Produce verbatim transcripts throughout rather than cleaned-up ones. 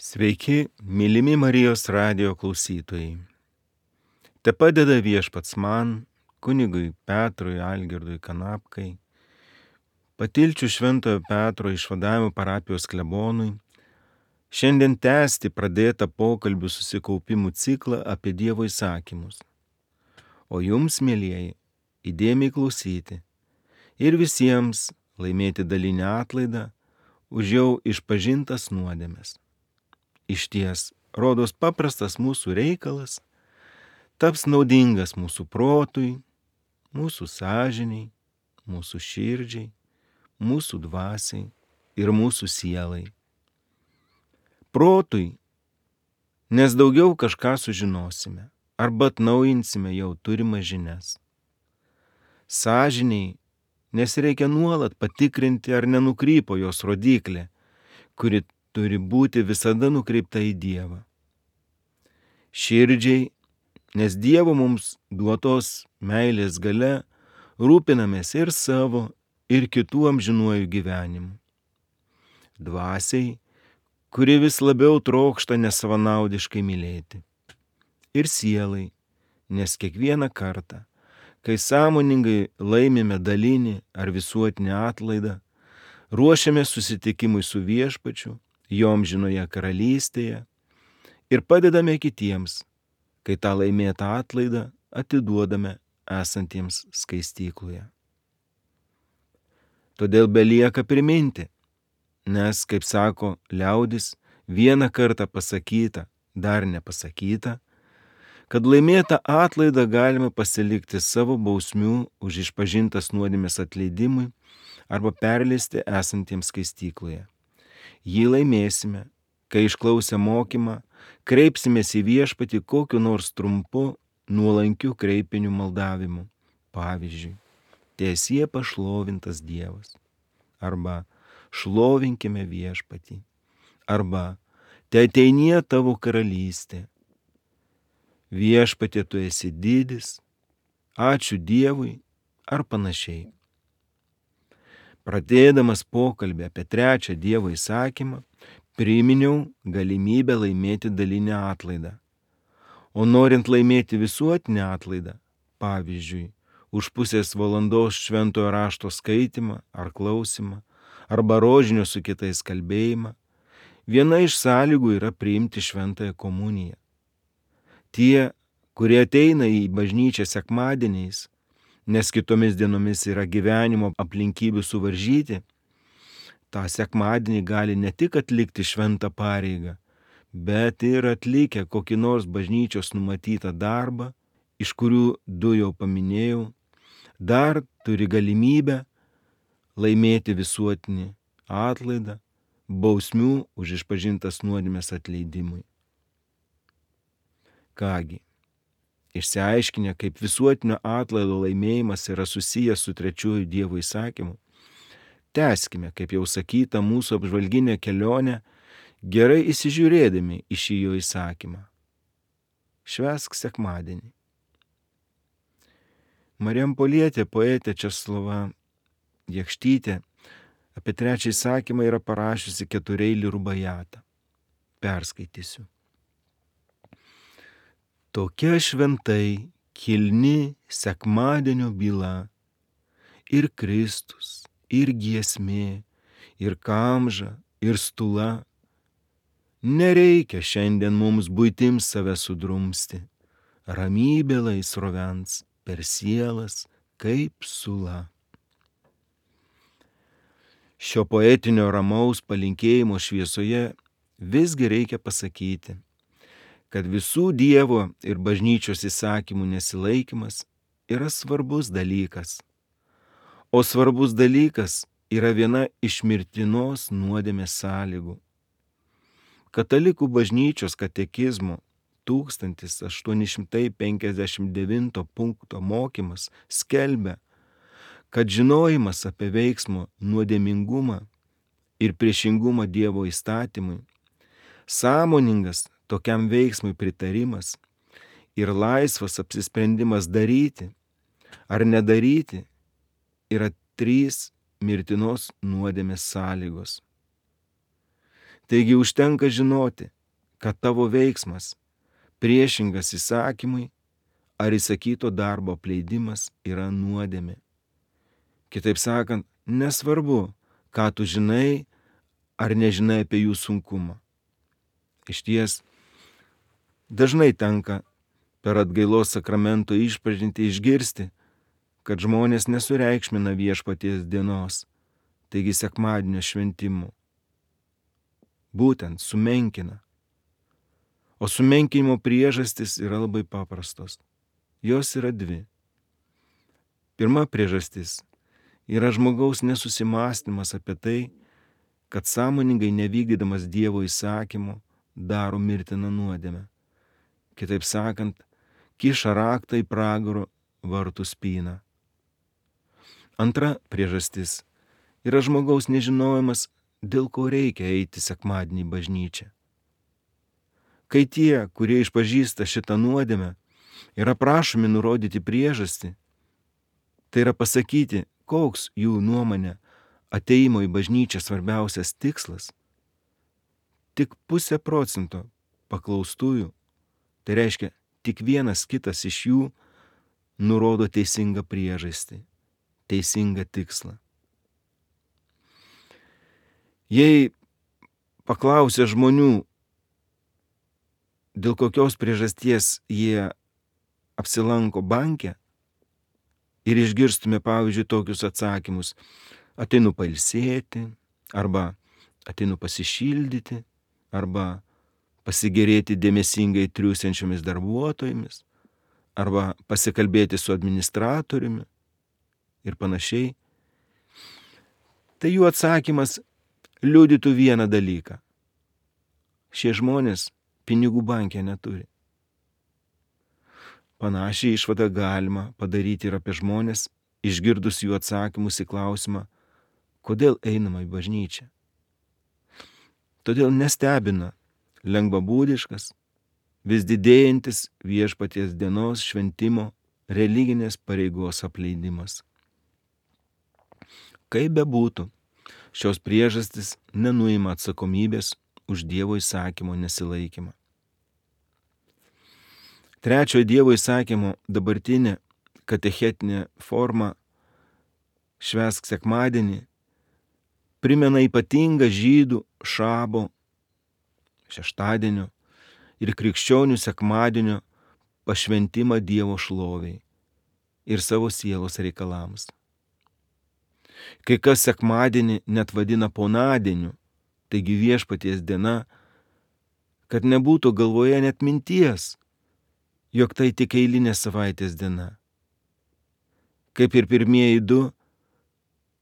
Sveiki, mylimi Marijos radijo klausytojai. Te padeda Viešpats man, kunigui Petrui Algirdui Kanapkai, Patilčių Šventojo Petro išvadavimo parapijos klebonui, šiandien tęsti pradėtą pokalbių susikaupimų ciklą apie Dievo įsakymus. O jums, mielieji, įdėmiai klausyti ir visiems laimėti dalinę atlaidą už jau išpažintas nuodėmes. Išties, rodos paprastas mūsų reikalas taps naudingas mūsų protui, mūsų sąžiniai, mūsų širdžiai, mūsų dvasiai ir mūsų sielai. Protui, nes daugiau kažką sužinosime arba atnaujinsime jau turimas žinias. Sąžiniai, nes reikia nuolat patikrinti, ar nenukrypo jos rodiklė, kuri turi būti visada nukreipta į Dievą. Širdžiai, nes Dievo mums duotos meilės galia rūpinamės ir savo, ir kitų amžinuoju gyvenimu. Dvasiai, kuri vis labiau trokšta nesavanaudiškai mylėti. Ir sielai, nes kiekvieną kartą, kai sąmoningai laimime dalinį ar visuotinį atlaidą, ruošiame susitikimui su Viešpačiu, jo amžinoje karalystėje ir padedame kitiems, kai tą laimėtą atlaidą atiduodame esantiems skaistykloje. Todėl belieka priminti, nes, kaip sako liaudis, vieną kartą pasakyta, dar nepasakyta, kad laimėtą atlaidą galima pasilikti savo bausmių už išpažintas nuodėmės atleidimui arba perleisti esantiems skaistykloje. Jį laimėsime, kai išklausę mokymą, kreipsimės į Viešpatį kokiu nors trumpu, nuolankiu kreipiniu maldavimu. Pavyzdžiui, tiesie pašlovintas Dievas. Arba šlovinkime Viešpatį. Arba te ateinie tavo karalystė. Viešpatie, tu esi didis, ačiū Dievui ar panašiai. Pradėdamas pokalbį apie trečią Dievo įsakymą, priminiau galimybę laimėti dalinę atlaidą. O norint laimėti visuotinę atlaidą, pavyzdžiui, už pusės valandos šventojo rašto skaitymą ar klausimą, arba rožinio su kitais kalbėjimą, viena iš sąlygų yra priimti šventąją komuniją. Tie, kurie ateina į bažnyčią sekmadieniais, nes kitomis dienomis yra gyvenimo aplinkybių suvaržyti, tą sekmadienį gali ne tik atlikti šventą pareigą, bet ir atlikę kokį nors bažnyčios numatytą darbą, iš kurių du jau paminėjau, dar turi galimybę laimėti visuotinį atlaidą, bausmių už išpažintas nuodėmes atleidimui. Kągi, išsiaiškinę, kaip visuotinio atlaido laimėjimas yra susijęs su trečiuoju Dievo įsakymu, tęskime, kaip jau sakyta, mūsų apžvalginę kelionę, gerai įsižiūrėdami į šį jo įsakymą. Švęsk sekmadienį. Marijampolietė poetė Česlova Jakštytė apie trečią įsakymą yra parašiusi ketureilį rubajatą. Perskaitysiu. Tokia šventai kilni sekmadienio byla ir Kristus, ir giesmė, ir kamža, ir stula. Nereikia šiandien mums buitims save sudrumsti, ramybė laisrovens per sielas kaip sula. Šio poetinio ramaus palinkėjimo šviesoje visgi reikia pasakyti, kad visų Dievo ir bažnyčios įsakymų nesilaikymas yra svarbus dalykas. O svarbus dalykas yra viena iš mirtinos nuodėmės sąlygų. Katalikų bažnyčios katekizmo tūkstantis aštuoni šimtai penkiasdešimt devinto punkto mokymas skelbia, kad žinojimas apie veiksmo nuodėmingumą ir priešingumą Dievo įstatymui, sąmoningas tokiam veiksmui pritarimas ir laisvas apsisprendimas daryti ar nedaryti yra trys mirtinos nuodėmės sąlygos. Taigi užtenka žinoti, kad tavo veiksmas priešingas įsakymui ar įsakyto darbo apleidimas yra nuodėmė. Kitaip sakant, nesvarbu, ką tu žinai ar nežinai apie jų sunkumą. Išties, dažnai tenka per atgailos sakramento išpažintį išgirsti, kad žmonės nesureikšmina viešpaties dienos, taigi sekmadienio šventimų. Būtent sumenkina. O sumenkinimo priežastis yra labai paprastos. Jos yra dvi. Pirma priežastis yra žmogaus nesusimąstymas apie tai, kad sąmoningai nevykdydamas Dievo įsakymų daro mirtiną nuodėmę. Kitaip sakant, kiša raktą į pragaro vartų spyną. Antra priežastis yra žmogaus nežinojimas, dėl ko reikia eiti sekmadienį į bažnyčią. Kai tie, kurie išpažįsta šitą nuodėmę, yra prašomi nurodyti priežastį, tai yra pasakyti, koks jų nuomonė ateimo į bažnyčią svarbiausias tikslas, tik pusė procento paklaustųjų, tai reiškia tik vienas kitas iš jų, nurodo teisingą priežastį, teisingą tikslą. Jei paklausia žmonių, dėl kokios priežasties jie apsilanko banke ir išgirstume, pavyzdžiui, tokius atsakymus: ateinu pailsėti, arba ateinu pasišildyti, arba pasigėrėti dėmesingai triūsiančiomis darbuotojomis, arba pasikalbėti su administratoriumi ir panašiai, tai jų atsakymas liudytų vieną dalyką. Šie žmonės pinigų banke neturi. Panašiai išvadą galima padaryti ir apie žmonės, išgirdus jų atsakymus į klausimą, kodėl einama į bažnyčią. Todėl nestebina lengvabūdiškas, vis didėjantis viešpaties dienos šventimo religinės pareigos apleidimas. Kaip bebūtų, šios priežastys nenuima atsakomybės už Dievo įsakymo nesilaikymą. Trečiojo Dievo įsakymo dabartinė katechetinė forma švęsk sekmadienį primena ypatingą žydų šabo, šeštadienio ir krikščionių sekmadienio pašventimą Dievo šloviai ir savo sielos reikalams. Kai kas sekmadienį net vadina ponadieniu, taigi viešpaties diena, kad nebūtų galvoje net minties, jog tai tik eilinė savaitės diena. Kaip ir pirmieji du,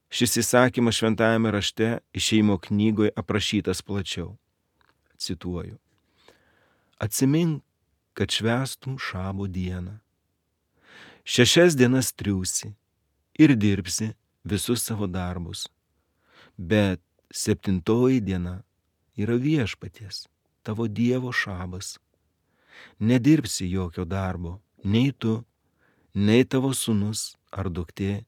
šis įsakymas šventajame rašte Išėjimo knygoje aprašytas plačiau. Cituoju. Atsimink, kad švęstum šabo dieną. Šešias dienas triūsi ir dirbsi visus savo darbus, bet septintoji diena yra viešpaties, tavo Dievo šabas. Nedirbsi jokio darbo, nei tu, nei tavo sūnus ar duktė,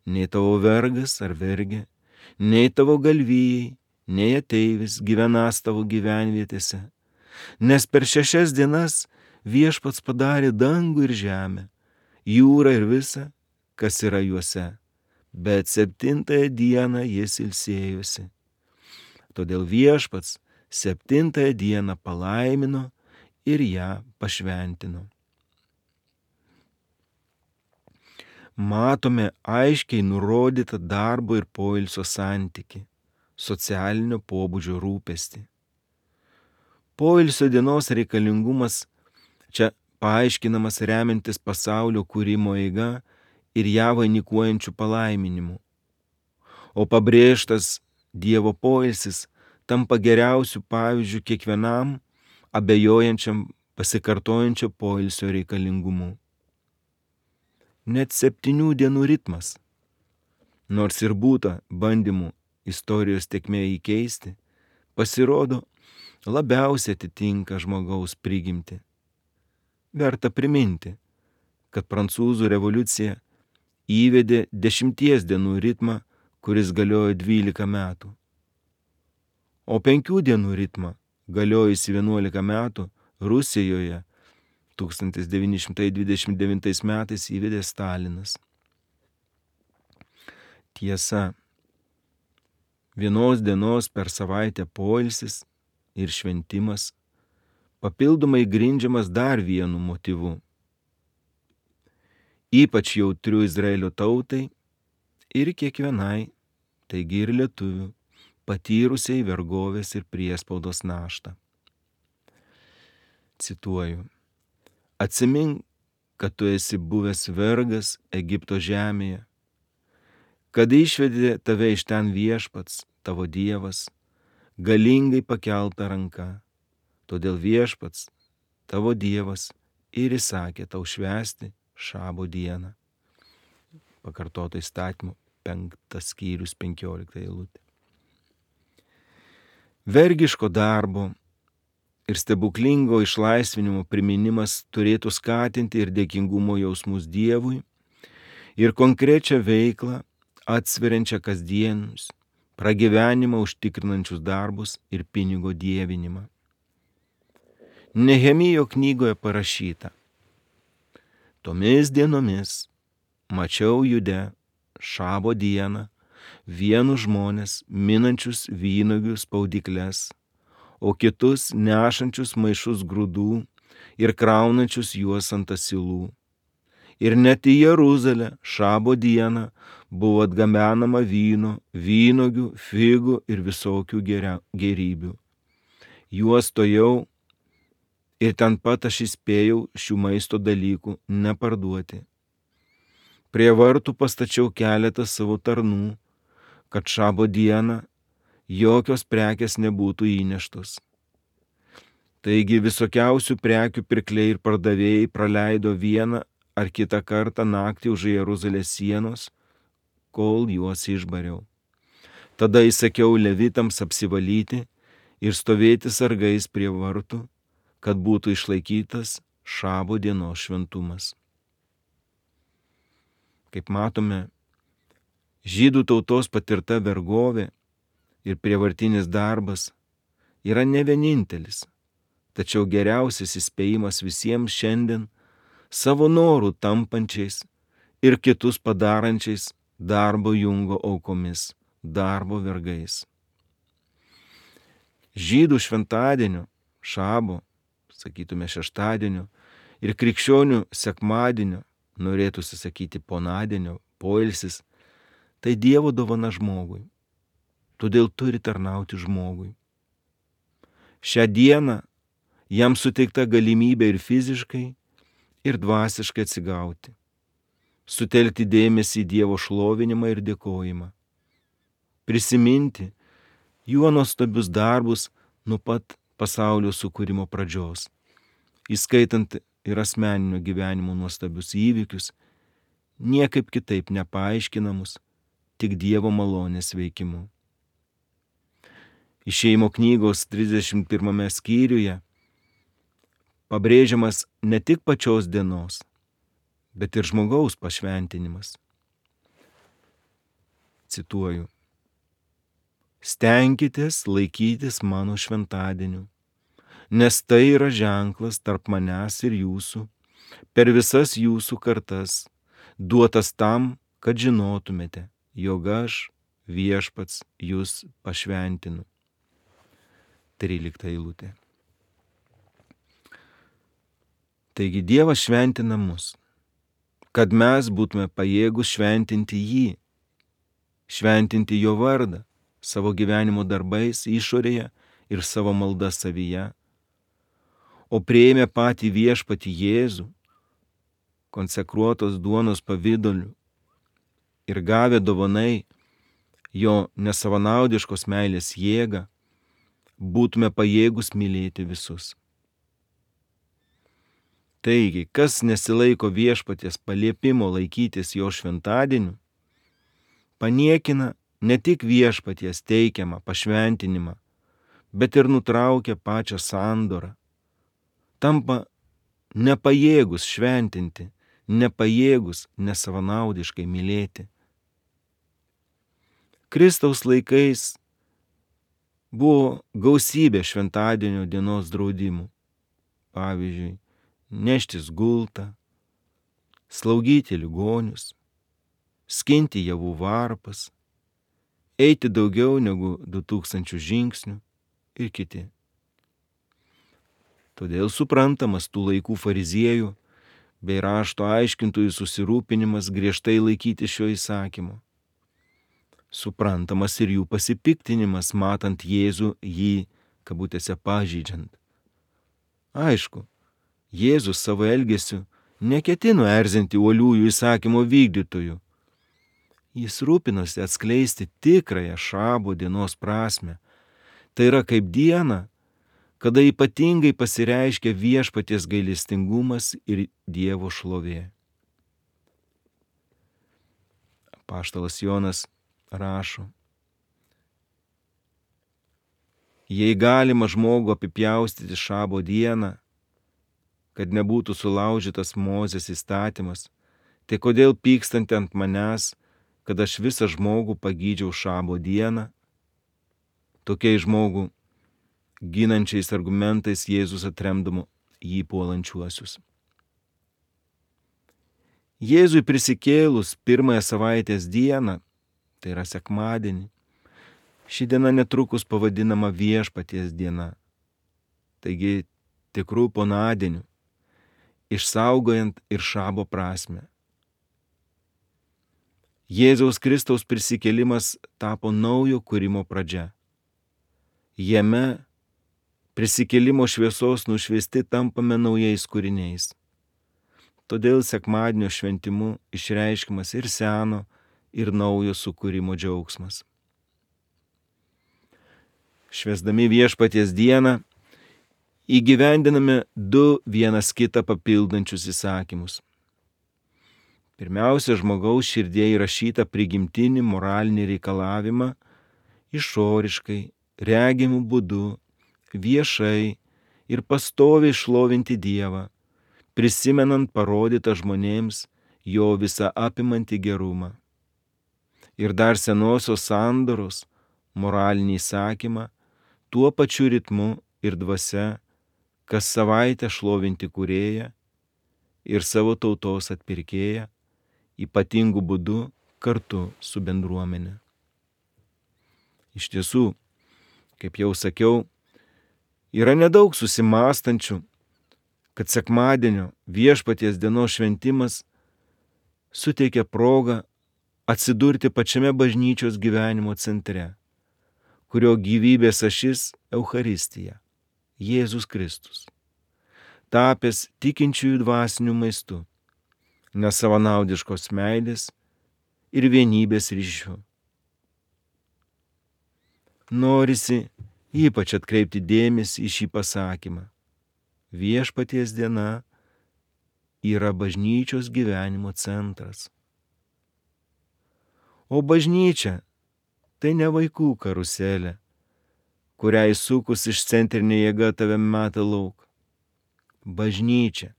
nei tavo vergas ar vergė, nei tavo galvijai, nei ateivis gyvenas tavo gyvenvietėse, nes per šešias dienas viešpats padarė dangų ir žemę, jūrą ir visa, kas yra juose, bet septintąją dieną jis ilsėjosi. Todėl viešpats septintąją dieną palaimino ir ją pašventino. Matome aiškiai nurodytą darbo ir poilsio santykį, socialinio pobūdžio rūpestį. Poilsio dienos reikalingumas čia paaiškinamas remiantis pasaulio kūrimo eiga ir ją vainikuojančių palaiminimų. O pabrėžtas Dievo poilsis tampa geriausių pavyzdžių kiekvienam abejojančiam pasikartojančio poilsio reikalingumu. Net septynių dienų ritmas, nors ir būta bandymų istorijos tėkmė įkeisti, pasirodo labiausiai atitinka žmogaus prigimtį. Verta priminti, kad prancūzų revoliucija įvedė dešimties dienų ritmą, kuris galiojo dvylika metų. o penkių dienų ritmą galiojusi vienuolika metų Rusijoje tūkstantis devyni šimtai dvidešimt devintais metais įvedė Stalinas. Tiesa, vienos dienos per savaitę poilsis ir šventimas papildomai grindžiamas dar vienu motyvu. Ypač jautriu Izraelio tautai ir kiekvienai, taigi ir lietuvių, patyrusiai vergovės ir priespaudos naštą. Cituoju. Atsimink, kad tu esi buvęs vergas Egipto žemėje, kad išvedė tave iš ten viešpats, tavo Dievas, galingai pakelta ranka. Todėl viešpats, tavo Dievas, ir įsakė tau švęsti šabo dieną. Pakartoto įstatymo penktas skyrius penkiolikta eilutė. Vergiško darbo ir stebuklingo išlaisvinimo priminimas turėtų skatinti ir dėkingumo jausmus Dievui ir konkrečią veiklą atsveriančią kasdienius, pragyvenimą užtikrinančius darbus ir pinigo dievinimą. Nehemijo knygoje parašyta: Tomis dienomis mačiau Jude šabo dieną vienus žmonės minančius vynuogių spaudykles, o kitus nešančius maišus grūdų ir kraunančius juos ant asilų. Ir net į Jeruzalę šabo dieną buvo atgabenama vyno, vynuogių, figų ir visokių gėrybių. Juos tojau ir ten pat aš įspėjau šių maisto dalykų neparduoti. Prie vartų pastačiau keletą savo tarnų, kad šabo dieną jokios prekės nebūtų įneštos. Taigi visokiausių prekių pirkliai ir pardavėjai praleido vieną ar kitą kartą naktį už Jeruzalės sienos, kol juos išbariau. Tada įsakiau levitams apsivalyti ir stovėti sargais prie vartų, kad būtų išlaikytas šabo dienos šventumas. Kaip matome, žydų tautos patirta vergovė ir prievartinis darbas yra ne vienintelis, tačiau geriausias įspėjimas visiems šiandien savo norų tampančiais ir kitus padarančiais darbo jungo aukomis, darbo vergais. Žydų šventadienio, šabo, sakytume šeštadienio, ir krikščionių sekmadienio, norėtųsi sakyti ponadienio, poilsis, tai Dievo dovana žmogui. Todėl turi tarnauti žmogui. Šią dieną jam suteikta galimybė ir fiziškai, ir dvasiškai atsigauti, sutelkti dėmesį į Dievo šlovinimą ir dėkojimą, prisiminti jo nuostabius darbus nuo pat pasaulio sukūrimo pradžios, įskaitant ir asmeninio gyvenimo nuostabius įvykius, niekaip kitaip nepaaiškinamus, tik Dievo malonės veikimu. Išėjimo knygos trisdešimt pirmame skyriuje pabrėžiamas ne tik pačios dienos, bet ir žmogaus pašventinimas. Cituoju. Stenkitės laikytis mano šventadienių, nes tai yra ženklas tarp manęs ir jūsų, per visas jūsų kartas, duotas tam, kad žinotumėte, jog aš, viešpats, jūs pašventinu. trylikta eilutė. Taigi Dievas šventina mus, kad mes būtume pajėgus šventinti jį, šventinti jo vardą savo gyvenimo darbais išorėje ir savo malda savyje, o priėmę patį viešpatį Jėzų, konsekruotos duonos pavidaliu ir gavę dovanai jo nesavanaudiškos meilės jėgą, būtume pajėgus mylėti visus. Taigi, kas nesilaiko viešpaties paliepimo laikytis jo šventadienių, paniekina ne tik viešpaties teikiamą pašventinimą, bet ir nutraukia pačią sandorą, tampa nepajėgus šventinti, nepajėgus nesavanaudiškai mylėti. Kristaus laikais Buvo gausybė šventadienio dienos draudimų. Pavyzdžiui, neštis gultą, slaugyti ligonius, skinti javų varpas, eiti daugiau negu du tūkstančius žingsnių ir kiti. Todėl suprantamas tų laikų fariziejų bei rašto aiškintojų susirūpinimas griežtai laikyti šio įsakymo. Suprantamas ir jų pasipiktinimas, matant Jėzų jį, kabutėse, pažeidžiant. Aišku, Jėzus savo elgesiu neketino erzinti uoliųjų įsakymo vykdytojų. Jis rūpinosi atskleisti tikrąją šabo dienos prasmę. Tai yra kaip diena, kada ypatingai pasireiškia viešpaties gailestingumas ir Dievo šlovė. Apaštalas Jonas rašo: jei galima žmogų apipjaustyti šabo dieną, kad nebūtų sulaužytas Mozės įstatymas, tai kodėl pykstanti ant manęs, kad aš visą žmogų pagydžiau šabo dieną? Tokiais žmogų ginančiais argumentais Jėzus atremdavo jį puolančiuosius. Jėzui prisikėlus pirmąją savaitės dieną, tai yra sekmadienį, ši diena netrukus pavadinama Viešpaties diena, taigi tikrų ponadienių, išsaugojant ir šabo prasmę. Jėzaus Kristaus prisikėlimas tapo naujo kūrimo pradžia. Jame prisikėlimo šviesos nušviesti tampame naujais kūriniais. Todėl sekmadienio šventimu išreiškiamas ir seno, ir naujo sukūrimo džiaugsmas. Švęsdami Viešpaties dieną įgyvendiname du vienas kitą papildančius įsakymus. Pirmiausia, žmogaus širdie įrašytą prigimtinį moralinį reikalavimą išoriškai, regimų būdu, viešai ir pastoviai šlovinti Dievą, prisimenant parodytą žmonėms jo visą apimantį gerumą. Ir dar senosios sandoros moralinį įsakymą tuo pačiu ritmu ir dvasia, kas savaitę šlovinti Kūrėją ir savo tautos atpirkėją, ypatingų būdų kartu su bendruomenė. Iš tiesų, kaip jau sakiau, yra nedaug susimąstančių, kad sekmadienio Viešpaties dienos šventimas suteikia progą atsidurti pačiame bažnyčios gyvenimo centre, kurio gyvybės ašis Eucharistija, Jėzus Kristus, tapęs tikinčiųjų dvasiniu maistu, nesavanaudiškos meilės ir vienybės ryšių. Norisi ypač atkreipti dėmesį į šį pasakymą. Viešpaties diena yra bažnyčios gyvenimo centras. O bažnyčia tai ne vaikų karuselė, kuriai sukus išcentrinė jėga tave meta lauk. Bažnyčia,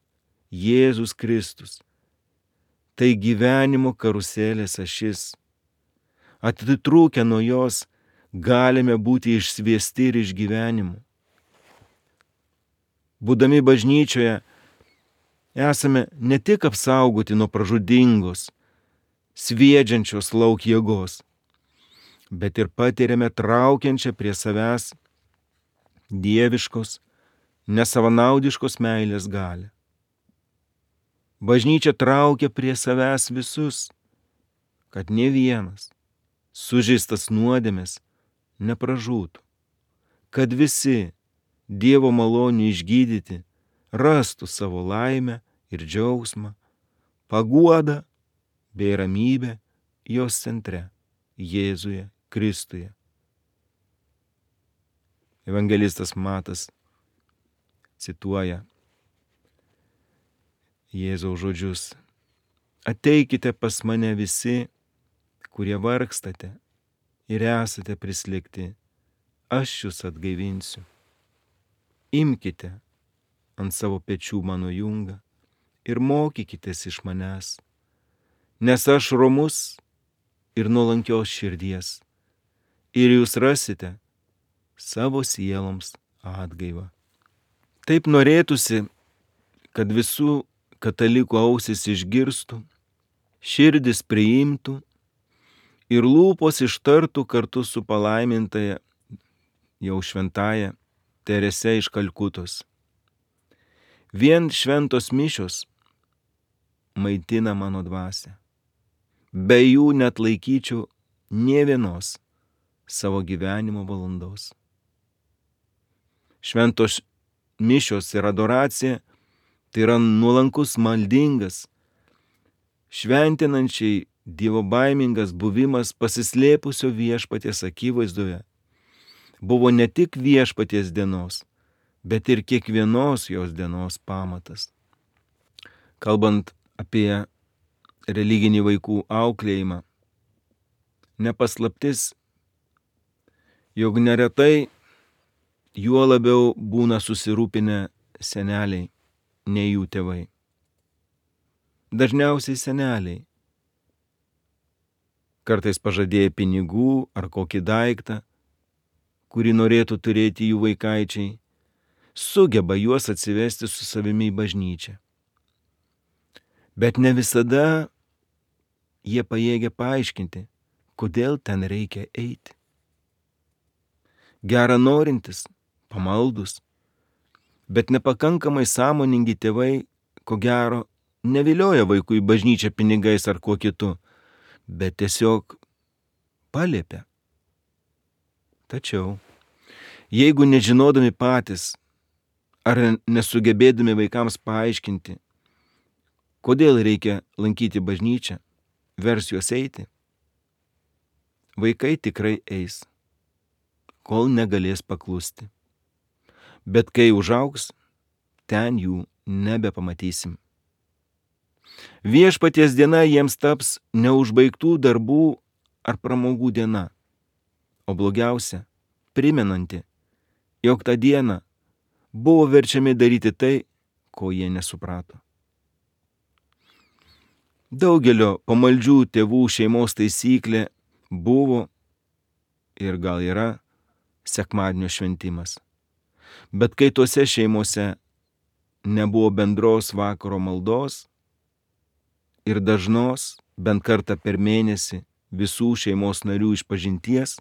Jėzus Kristus, tai gyvenimo karuselės ašis. Atitrūkę nuo jos galime būti išsviesti ir iš gyvenimų. Būdami bažnyčioje esame ne tik apsaugoti nuo pražudingos, sviedžiančios lauk jėgos, bet ir patiriame traukiančią prie savęs dieviškos, nesavanaudiškos meilės galią. Bažnyčia traukia prie savęs visus, kad ne vienas, sužeistas nuodėmės, nepražūtų, kad visi Dievo malonių išgydyti rastų savo laimę ir džiaugsmą, paguodą bei ramybę jos centre, Jėzuje Kristuje. Evangelistas Matas cituoja Jėzaus žodžius: ateikite pas mane visi, kurie vargstate ir esate prislėgti, aš jus atgaivinsiu. Imkite ant savo pečių mano jungą ir mokykitės iš manęs, nes aš romus ir nuolankios širdies, ir jūs rasite savo sieloms atgaivą. Taip norėtųsi, kad visų katalikų ausis išgirstų, širdis priimtų ir lūpos ištartų kartu su palaimintaja jau šventaja Terese iš Kalkutos. Vien šventos mišios maitina mano dvasią. Be jų net laikyčiau nė vienos savo gyvenimo valandos. Šventos mišios ir adoracija tai yra nuolankus, maldingas, šventinančiai Dievo baimingas buvimas pasislėpusio viešpaties akivaizdoje. Buvo ne tik viešpaties dienos, bet ir kiekvienos jos dienos pamatas. Kalbant apie religinį vaikų auklėjimą, nepaslaptis, jog neretai juo labiau būna susirūpinę seneliai, nei jų tėvai. Dažniausiai seneliai, kartais pažadėję pinigų ar kokį daiktą, kurį norėtų turėti jų vaikaičiai, sugeba juos atsivesti su savimi į bažnyčią. Bet ne visada jie pajėgia paaiškinti, kodėl ten reikia eiti. Gera norintis, pamaldus, bet nepakankamai sąmoningi tėvai, ko gero, nevilioja vaikų į bažnyčią pinigais ar kuo kitu, bet tiesiog paliepia. Tačiau, jeigu nežinodami patys ar nesugebėdami vaikams paaiškinti, kodėl reikia lankyti bažnyčią, vers juos eiti, vaikai tikrai eis, kol negalės paklusti. Bet kai užaugs, ten jų nebepamatysim. Viešpaties diena jiems taps neužbaigtų darbų ar pramogų diena, o blogiausia, primenanti, jog tą dieną buvo verčiami daryti tai, ko jie nesuprato. Daugelio pamaldžių tėvų šeimos taisyklė buvo ir gal yra sekmadienio šventimas. Bet kai tose šeimose nebuvo bendros vakaro maldos ir dažnos, bent kartą per mėnesį, visų šeimos narių išpažinties,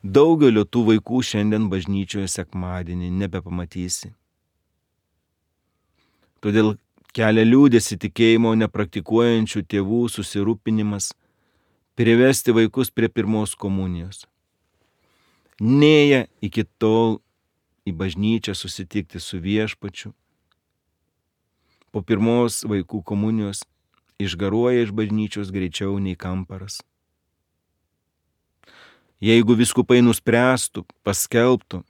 daugelio tų vaikų šiandien bažnyčioje sekmadienį nebepamatysi. Todėl kelia liūdesį tikėjimo nepraktikuojančių tėvų susirūpinimas privesti vaikus prie pirmos komunijos. Nėja iki tol į bažnyčią susitikti su viešpačiu. Po pirmos vaikų komunijos išgaruoja iš bažnyčios greičiau nei kamparas. Jeigu vyskupai nuspręstų, paskelbtų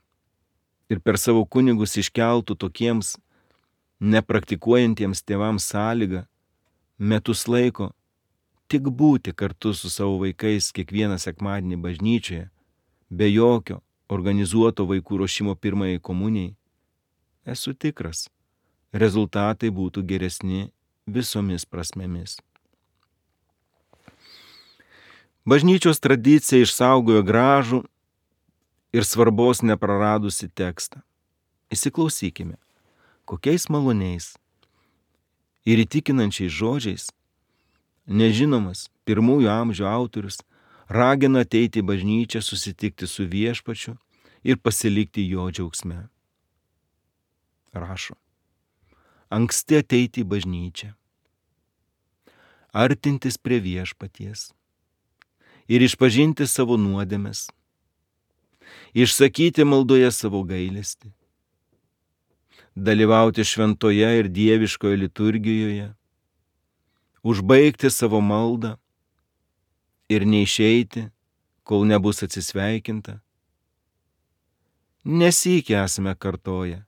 ir per savo kunigus iškeltų tokiems nepraktikuojantiems tėvams sąlygą metus laiko tik būti kartu su savo vaikais kiekvieną sekmadienį bažnyčioje, be jokio organizuoto vaikų ruošimo pirmajai komunijai, esu tikras, rezultatai būtų geresni visomis prasmėmis. Bažnyčios tradicija išsaugojo gražų ir svarbos nepraradusi tekstą. Įsiklausykime, kokiais maloniais ir įtikinančiais žodžiais nežinomas pirmųjų amžių autorius ragina ateiti į bažnyčią, susitikti su viešpačiu ir pasilikti jo džiaugsme. Rašo, anksti ateiti į bažnyčią, artintis prie viešpaties ir išpažinti savo nuodėmes, išsakyti maldoje savo gailestį, dalyvauti šventoje ir dieviškoje liturgijoje, užbaigti savo maldą ir neišeiti, kol nebus atsisveikinta. Nesykį esame kartoję,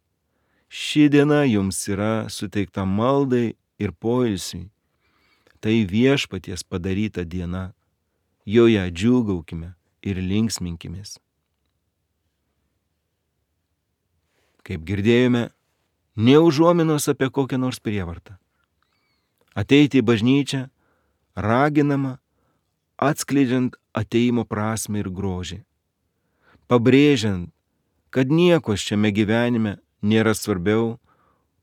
ši diena jums yra suteikta maldai ir poilsiui. Tai viešpaties padaryta diena, joje džiūgaukime ir linksminkimės. Kaip girdėjome, nė užuominos apie kokią nors prievartą. Ateiti į bažnyčią raginama, atskleidžiant ateimo prasmę ir grožį. pabrėžiant, kad nieko šiame gyvenime nėra svarbiau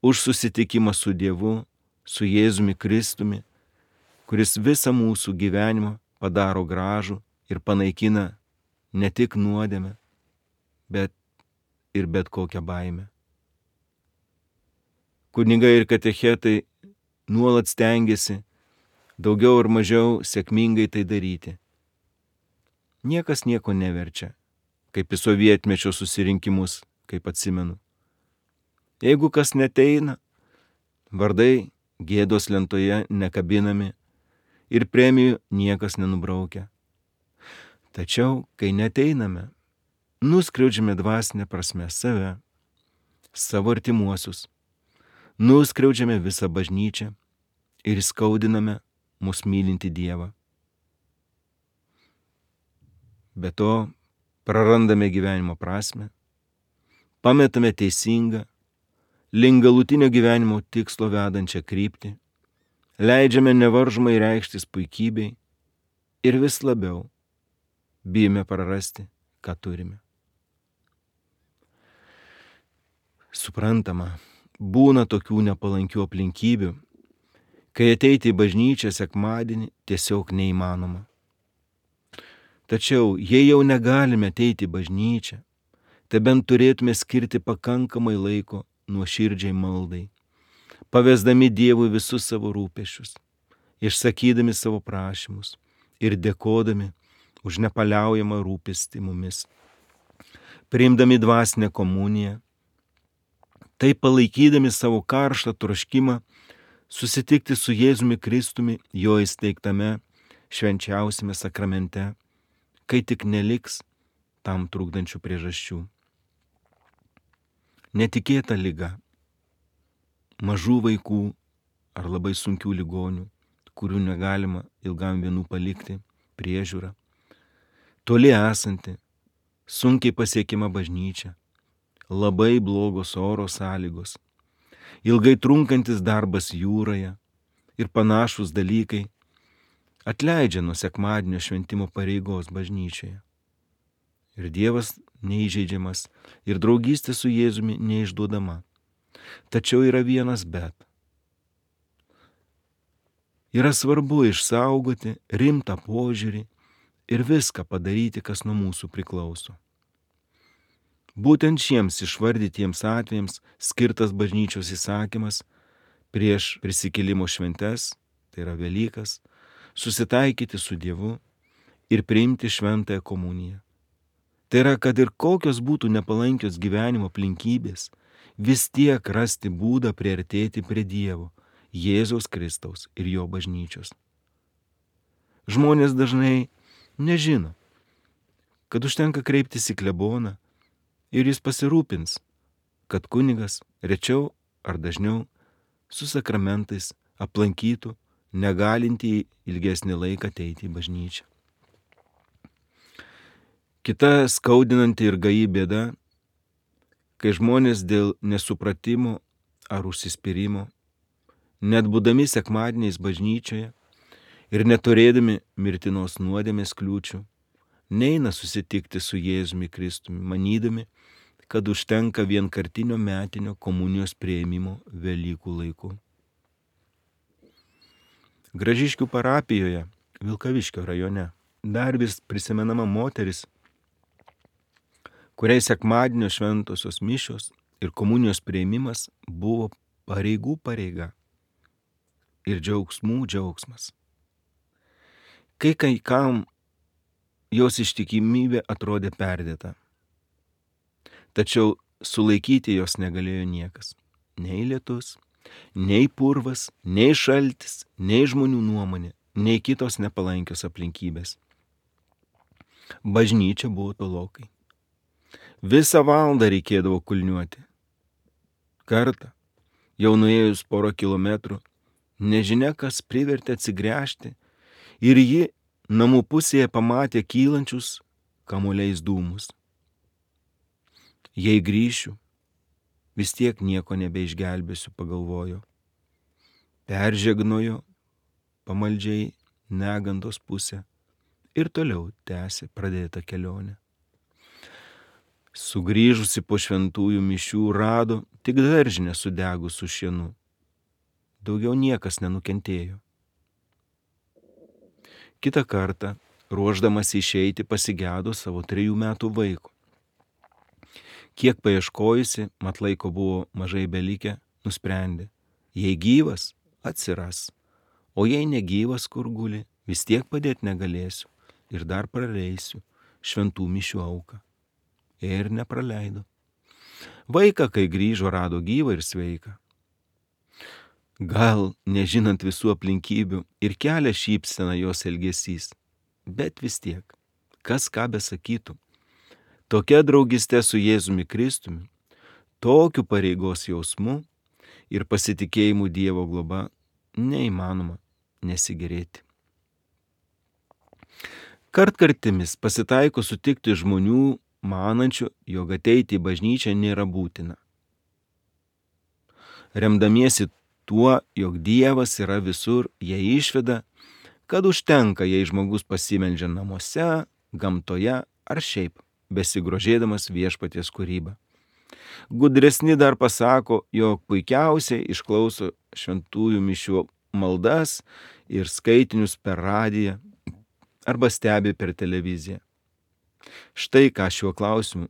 už susitikimą su Dievu, su Jėzumi Kristumi, kuris visą mūsų gyvenimą padaro gražų ir panaikina ne tik nuodėmę, bet ir bet kokią baimę. Kunigai ir katechetai nuolat stengiasi daugiau ar mažiau sėkmingai tai daryti. Niekas nieko neverčia, kaip į sovietmečio susirinkimus, kaip atsimenu. Jeigu kas neteina, vardai gėdos lentoje nekabinami ir premijų niekas nenubraukia. Tačiau, kai neteiname, nuskriaudžiame dvasinę prasme save, savo artimuosius, nuskriaudžiame visą bažnyčią ir skaudiname mus mylinti Dievą. Be to, prarandame gyvenimo prasme, pametame teisingą, link galutinio gyvenimo tikslo vedančią kryptį, leidžiame nevaržomai reikštis puikybei ir vis labiau bijome prarasti, ką turime. Suprantama, būna tokių nepalankių aplinkybių, kai ateiti į bažnyčią sekmadienį tiesiog neįmanoma. Tačiau, jei jau negalime ateiti į bažnyčią, tai bent turėtume skirti pakankamai laiko nuoširdžiai maldai, pavesdami Dievui visus savo rūpesčius, išsakydami savo prašymus ir dėkodami už nepaliaujamą rūpestį mumis, priimdami dvasinę komuniją, taip palaikydami savo karštą troškimą susitikti su Jėzumi Kristumi jo įsteigtame švenčiausiame sakramente, kai tik neliks tam trukdančių priežasčių. Netikėta liga, mažų vaikų ar labai sunkių ligonių, kurių negalima ilgam vienų palikti, priežiūra, toli esanti, sunkiai pasiekima bažnyčia, labai blogos oro sąlygos, ilgai trunkantis darbas jūroje ir panašūs dalykai atleidžia nuo sekmadienio šventimo pareigos bažnyčioje. Ir Dievas neįžeidžiamas ir draugystė su Jėzumi neišduodama. Tačiau yra vienas bet. Yra svarbu išsaugoti rimtą požiūrį ir viską padaryti, kas nuo mūsų priklauso. Būtent šiems išvardytiems atvejams skirtas bažnyčios įsakymas prieš prisikėlimo šventes, tai yra Velykas, susitaikyti su Dievu ir priimti šventąją komuniją. Tai yra, kad ir kokios būtų nepalankios gyvenimo aplinkybės, vis tiek rasti būdą priartėti prie Dievo, Jėzaus Kristaus ir jo bažnyčios. Žmonės dažnai nežino, kad užtenka kreiptis į kleboną ir jis pasirūpins, kad kunigas rečiau ar dažniau su sakramentais aplankytų negalintį ilgesnį laiką ateiti į bažnyčią. Kita skaudinanti ir gaji bėda, kai žmonės dėl nesupratimo ar užsispyrimo, net būdami sekmadieniais bažnyčioje ir neturėdami mirtinos nuodėmės kliūčių, neina susitikti su Jėzumi Kristumi, manydami, kad užtenka vienkartinio metinio komunijos priėmimo Velykų laiku. Gražiškių parapijoje, Vilkaviškio rajone, dar vis prisimenama moteris, kuriai sekmadienio šventosios mišios ir komunijos priėmimas buvo pareigų pareiga ir džiaugsmų džiaugsmas. Kai kai kam jos ištikimybė atrodė perdėta, tačiau sulaikyti jos negalėjo niekas, nei lietus, nei purvas, nei šaltis, nei žmonių nuomonė, nei kitos nepalankios aplinkybės. Bažnyčia buvo tolokai. Visą valandą reikėdavo kulniuoti. Kartą, jau nuėjus porą kilometrų, nežinia kas privertė atsigręžti ir ji namų pusėje pamatė kylančius kamuoliais dūmus. Jei grįšiu, vis tiek nieko nebeišgelbėsiu, pagalvojo. Peržegnojo pamaldžiai negandos pusę ir toliau tęsė pradėtą kelionę. Sugrįžusi po šventųjų mišių rado tik daržinę sudegus su šienu. Daugiau niekas nenukentėjo. Kitą kartą, ruošdamas išeiti, pasigėdo savo trejų metų vaiko. Kiek paieškojusi, mat laiko buvo mažai belikę, nusprendė, jei gyvas, atsiras, o jei negyvas, kur guli, vis tiek padėti negalėsiu ir dar praleisiu šventų mišių auką. Ir nepraleido. Vaiką, kai grįžo, rado gyvą ir sveiką. Gal, nežinant visų aplinkybių, ir kelia šypseną jos elgesys, bet vis tiek, kas ką besakytų, tokia draugystė su Jėzumi Kristumi, tokiu pareigos jausmu ir pasitikėjimu Dievo globa neįmanoma nesigėrėti. Kartkartimis pasitaiko sutikti žmonių, manančių, jog ateiti į bažnyčią nėra būtina. Remdamiesi tuo, jog Dievas yra visur, jie išveda, kad užtenka, jei žmogus pasimeldžia namuose, gamtoje ar šiaip, besigrožėdamas viešpaties kūrybą. Gudresni dar pasako, jog puikiausiai išklauso šventųjų mišių maldas ir skaitinius per radiją arba stebi per televiziją. Štai ką šiuo klausimu,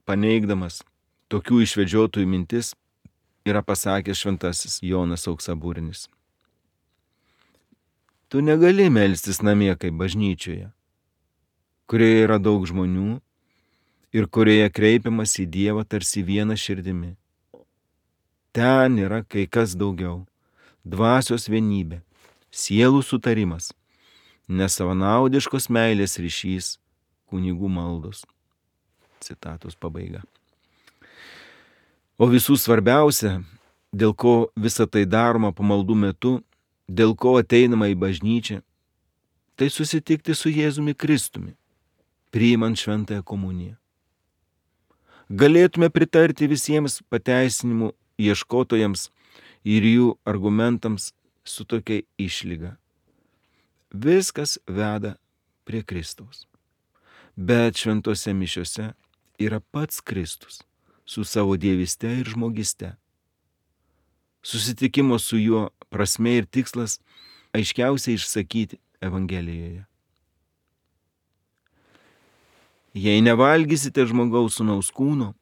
paneigdamas tokių išvedžiotojų mintis, yra pasakęs šventasis Jonas Auksaburnis. Tu negali melstis namie kaip bažnyčioje, kurioje yra daug žmonių ir kurioje kreipiamas į Dievą tarsi viena širdimi. Ten yra kai kas daugiau, dvasios vienybė, sielų sutarimas, nesavanaudiškos meilės ryšys, kunigų maldos. Citatos pabaiga. O visų svarbiausia, dėl ko visa tai daroma pamaldų metu, dėl ko ateinama į bažnyčią, tai susitikti su Jėzumi Kristumi, priimant šventąją komuniją. Galėtume pritarti visiems pateisinimų ieškotojams ir jų argumentams su tokia išlyga. Viskas veda prie Kristaus. Bet šventose mišiose yra pats Kristus su savo dievyste ir žmogiste. Susitikimo su juo prasmė ir tikslas aiškiausiai išsakyti Evangelijoje. Jei nevalgysite žmogaus sūnaus kūno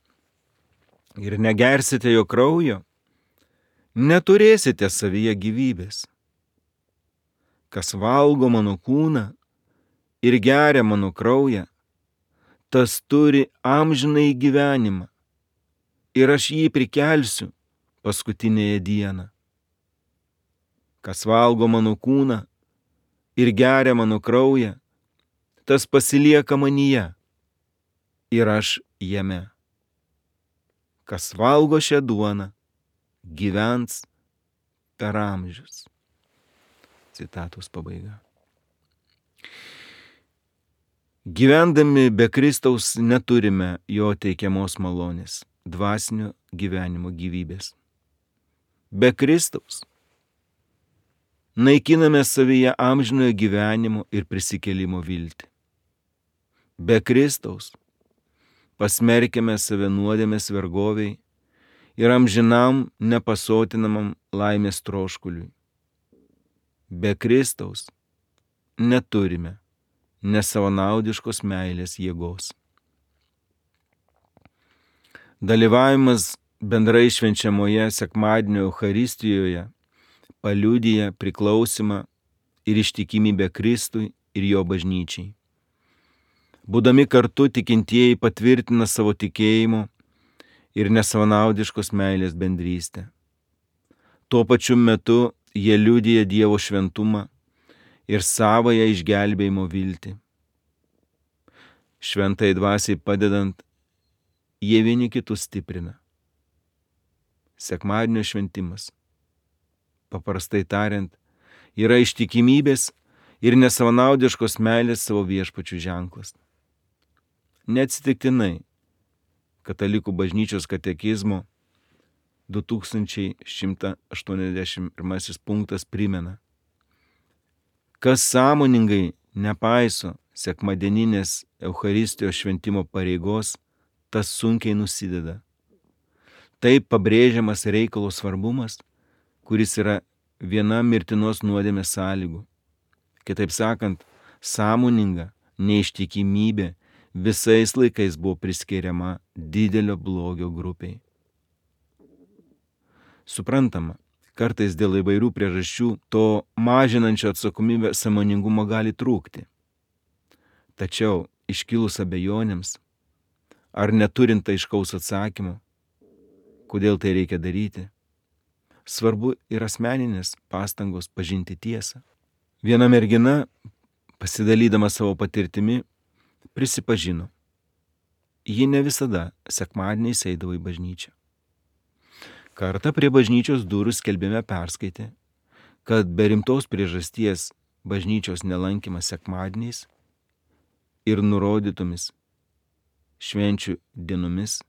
ir negersite jo kraujo, neturėsite savyje gyvybės. Kas valgo mano kūną ir geria mano kraują, tas turi amžinąjį gyvenimą ir aš jį prikelsiu paskutinėje dieną. Kas valgo mano kūną ir geria mano kraują, tas pasilieka manyje ir aš jame. Kas valgo šią duoną, gyvens per amžius. Citatos pabaiga. Gyvendami be Kristaus neturime jo teikiamos malonės, dvasinio gyvenimo gyvybės. Be Kristaus naikiname savyje amžinojo gyvenimo ir prisikėlimo viltį. Be Kristaus pasmerkėme save nuodėmės vergoviai ir amžinam nepasotinamam laimės troškuliui. Be Kristaus neturime nesavanaudiškos meilės jėgos. Dalyvavimas bendrai švenčiamoje sekmadienio Eucharistijoje paliudija priklausimą ir ištikimybę Kristui ir jo bažnyčiai. Būdami kartu tikintieji patvirtina savo tikėjimo ir nesavanaudiškos meilės bendrystę. Tuo pačiu metu jie liudija Dievo šventumą ir savąją išgelbėjimo viltį. Šventai dvasiai padedant, jie vieni kitus stiprina. Sekmadienio šventimas, paprastai tariant, yra ištikimybės ir nesavanaudiškos meilės savo viešpačių ženklas. Neatsitiktinai Katalikų bažnyčios katekizmo du tūkstančiai šimtas aštuoniasdešimt pirmasis punktas primena: kas sąmoningai nepaiso sekmadieninės Eucharistijos šventimo pareigos, tas sunkiai nusideda. Taip pabrėžiamas reikalo svarbumas, kuris yra viena mirtinos nuodėmės sąlygų. Kitaip sakant, sąmoninga neištikimybė visais laikais buvo priskiriama didelio blogio grupiai. Suprantama, kartais dėl įvairių priežasčių to mažinančio atsakomybę sąmoningumo gali trūkti. Tačiau iškilus abejonėms, ar neturint aiškaus atsakymo, kodėl tai reikia daryti, svarbu ir asmeninės pastangos pažinti tiesą. Viena mergina, pasidalydama savo patirtimi, prisipažino, ji ne visada sekmadieniais eidavo į bažnyčią. Kartą prie bažnyčios durų skelbime perskaitė, kad be rimtos priežasties bažnyčios nelankymas sekmadieniais ir nurodytomis švenčių dienomis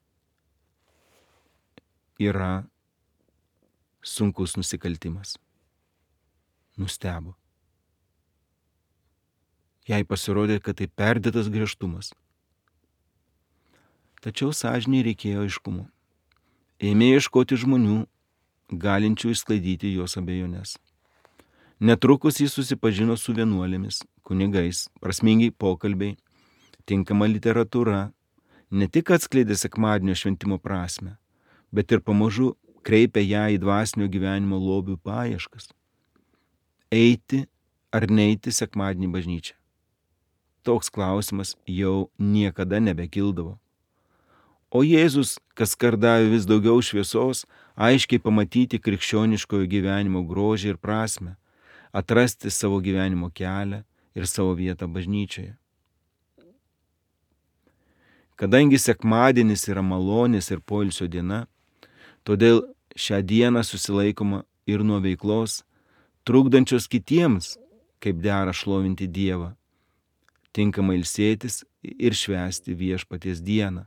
yra sunkus nusikaltimas. Nustebo. Jai pasirodė, kad tai perdėtas griežtumas. Tačiau sąžinei reikėjo aiškumo. Ėmė ieškoti žmonių, galinčių išsklaidyti jos abejones. Netrukus jis susipažino su vienuolėmis, kunigais, prasmingi pokalbiai, tinkama literatūra, ne tik atskleidė sekmadienio šventimo prasme, bet ir pamažu kreipė ją į dvasinio gyvenimo lobių paieškas. Eiti ar neiti sekmadienį bažnyčią? Toks klausimas jau niekada nebekildavo. O Jėzus kaskart davė vis daugiau šviesos, aiškiai pamatyti krikščioniškojo gyvenimo grožį ir prasmę, atrasti savo gyvenimo kelią ir savo vietą bažnyčioje. Kadangi sekmadienis yra malonės ir poilsio diena, todėl šią dieną susilaikoma ir nuo veiklos, trukdančios kitiems, kaip dera šlovinti Dievą, tinkamai ilsėtis ir švęsti viešpaties dieną.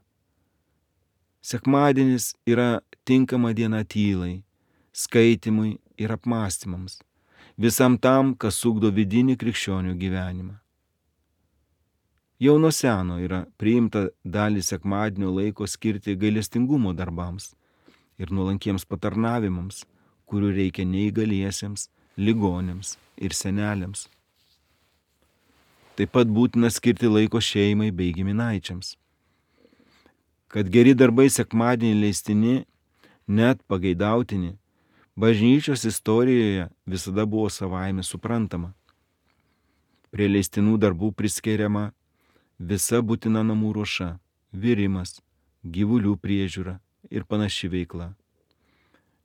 Sekmadienis yra tinkama diena tylai, skaitimui ir apmąstymams, visam tam, kas ugdo vidinį krikščionių gyvenimą. Jau nuo seno yra priimta dalį sekmadienio laiko skirti gailestingumo darbams ir nuolankiems patarnavimams, kurių reikia neįgaliesiems, ligonėms ir seneliams. Taip pat būtina skirti laiko šeimai bei giminaičiams. Kad geri darbai sekmadienį leistini, net pageidautini, bažnyčios istorijoje visada buvo savaime suprantama. Prie leistinų darbų priskiriama visa būtina namų ruoša, virimas, gyvulių priežiūra ir panaši veikla.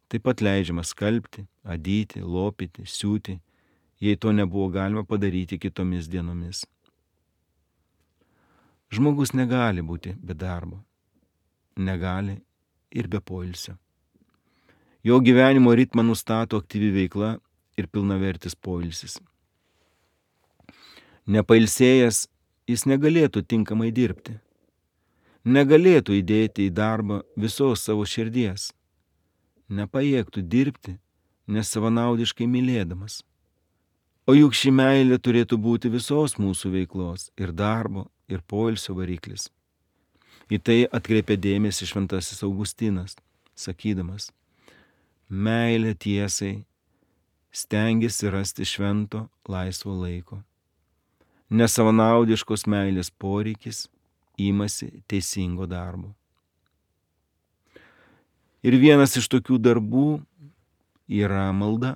Taip pat leidžiama skalbti, adyti, lopyti, siūti, jei to nebuvo galima padaryti kitomis dienomis. Žmogus negali būti be darbo, negali ir be poilsio. Jo gyvenimo ritmą nustato aktyvi veikla ir pilnavertis poilsis. Nepailsėjęs jis negalėtų tinkamai dirbti, negalėtų įdėti į darbą visos savo širdies, nepajėgtų dirbti nesavanaudiškai mylėdamas. O juk ši meilė turėtų būti visos mūsų veiklos ir darbo ir poilsio variklis. Į tai atkreipė dėmesį šventasis Augustinas, sakydamas, meilė tiesai stengiasi rasti švento laisvo laiko. Nesavanaudiškos meilės poreikis imasi teisingo darbo. Ir vienas iš tokių darbų yra malda.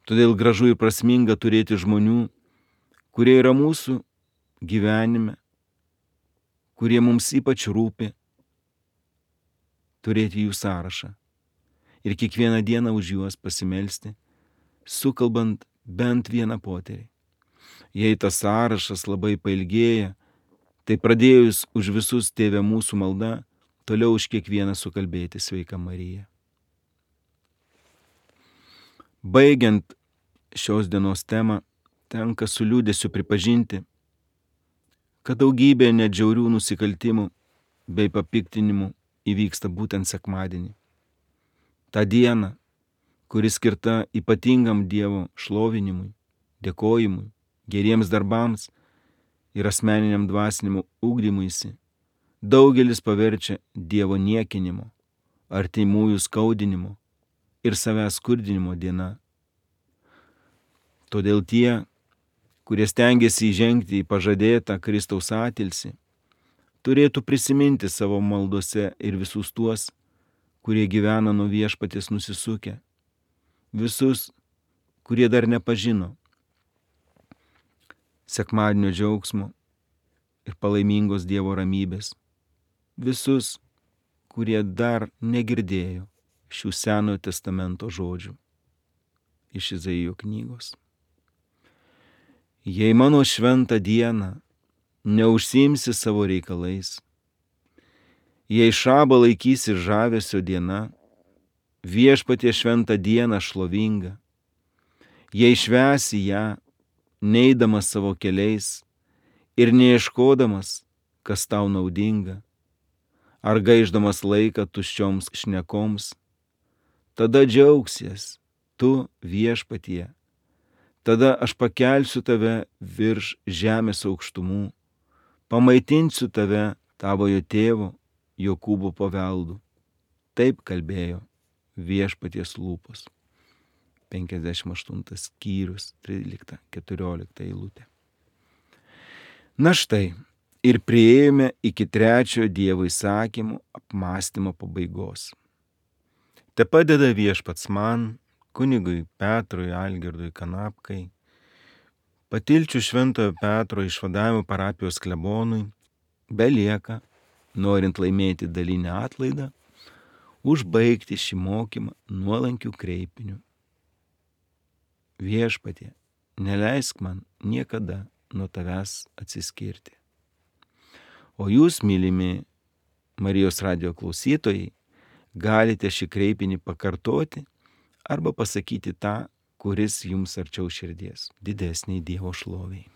Todėl gražu ir prasminga turėti žmonių, kurie yra mūsų gyvenime, kurie mums ypač rūpi, turėti jų sąrašą ir kiekvieną dieną už juos pasimelsti, sukalbant bent vieną poterį. Jei tas sąrašas labai pailgėja, tai pradėjus už visus Tėve mūsų malda, toliau už kiekvieną sukalbėti Sveika Marija. Baigiant šios dienos temą, tenka su liūdesiu pripažinti, kad daugybė nedžiaurių nusikaltimų bei papiktinimų įvyksta būtent sekmadienį. Ta diena, kuri skirta ypatingam Dievo šlovinimui, dėkojimui, geriems darbams ir asmeniniam dvasinimu ugdymuisi, daugelis paverčia Dievo niekinimo, artimųjų skaudinimo ir savęs skurdinimo diena. Todėl tie, kurie stengiasi įžengti į pažadėtą Kristaus atilsį, turėtų prisiminti savo maldose ir visus tuos, kurie gyvena nuo Viešpaties nusisukę, visus, kurie dar nepažino sekmadienio džiaugsmo ir palaimingos Dievo ramybės, visus, kurie dar negirdėjo šių Senojo testamento žodžių iš Izaijo knygos. Jei mano šventą dieną neužsiimsi savo reikalais, jei šabą laikysi žavesio diena, Viešpatie šventą dieną šlovingą, jei švęsi ją, neidamas savo keliais ir neieškodamas, kas tau naudinga, ar gaišdamas laiką tuščioms šnekoms, tada džiaugsies tu Viešpatie, tada aš pakelsiu tave virš žemės aukštumų, pamaitinsiu tave tavojo tėvo Jokūbo paveldu. Taip kalbėjo Viešpaties lūpos. penkiasdešimt aštuntas skyrius, trylikta keturiolikta eilutė. Na štai, ir priėjome iki trečiojo Dievo įsakymo apmąstymo pabaigos. Te padeda Viešpats man, kunigui Petrui Algirdui Kanapkai, Patilčių Šventojo Petro išvadavimo parapijos klebonui, belieka, norint laimėti dalinę atlaidą, užbaigti šį mokymą nuolankių kreipinių. Viešpatie, neleisk man niekada nuo tavęs atsiskirti. O jūs, mylimi Marijos radijo klausytojai, galite šį kreipinį pakartoti arba pasakyti tą, kuris jums arčiau širdies, didesniai Dievo šloviai.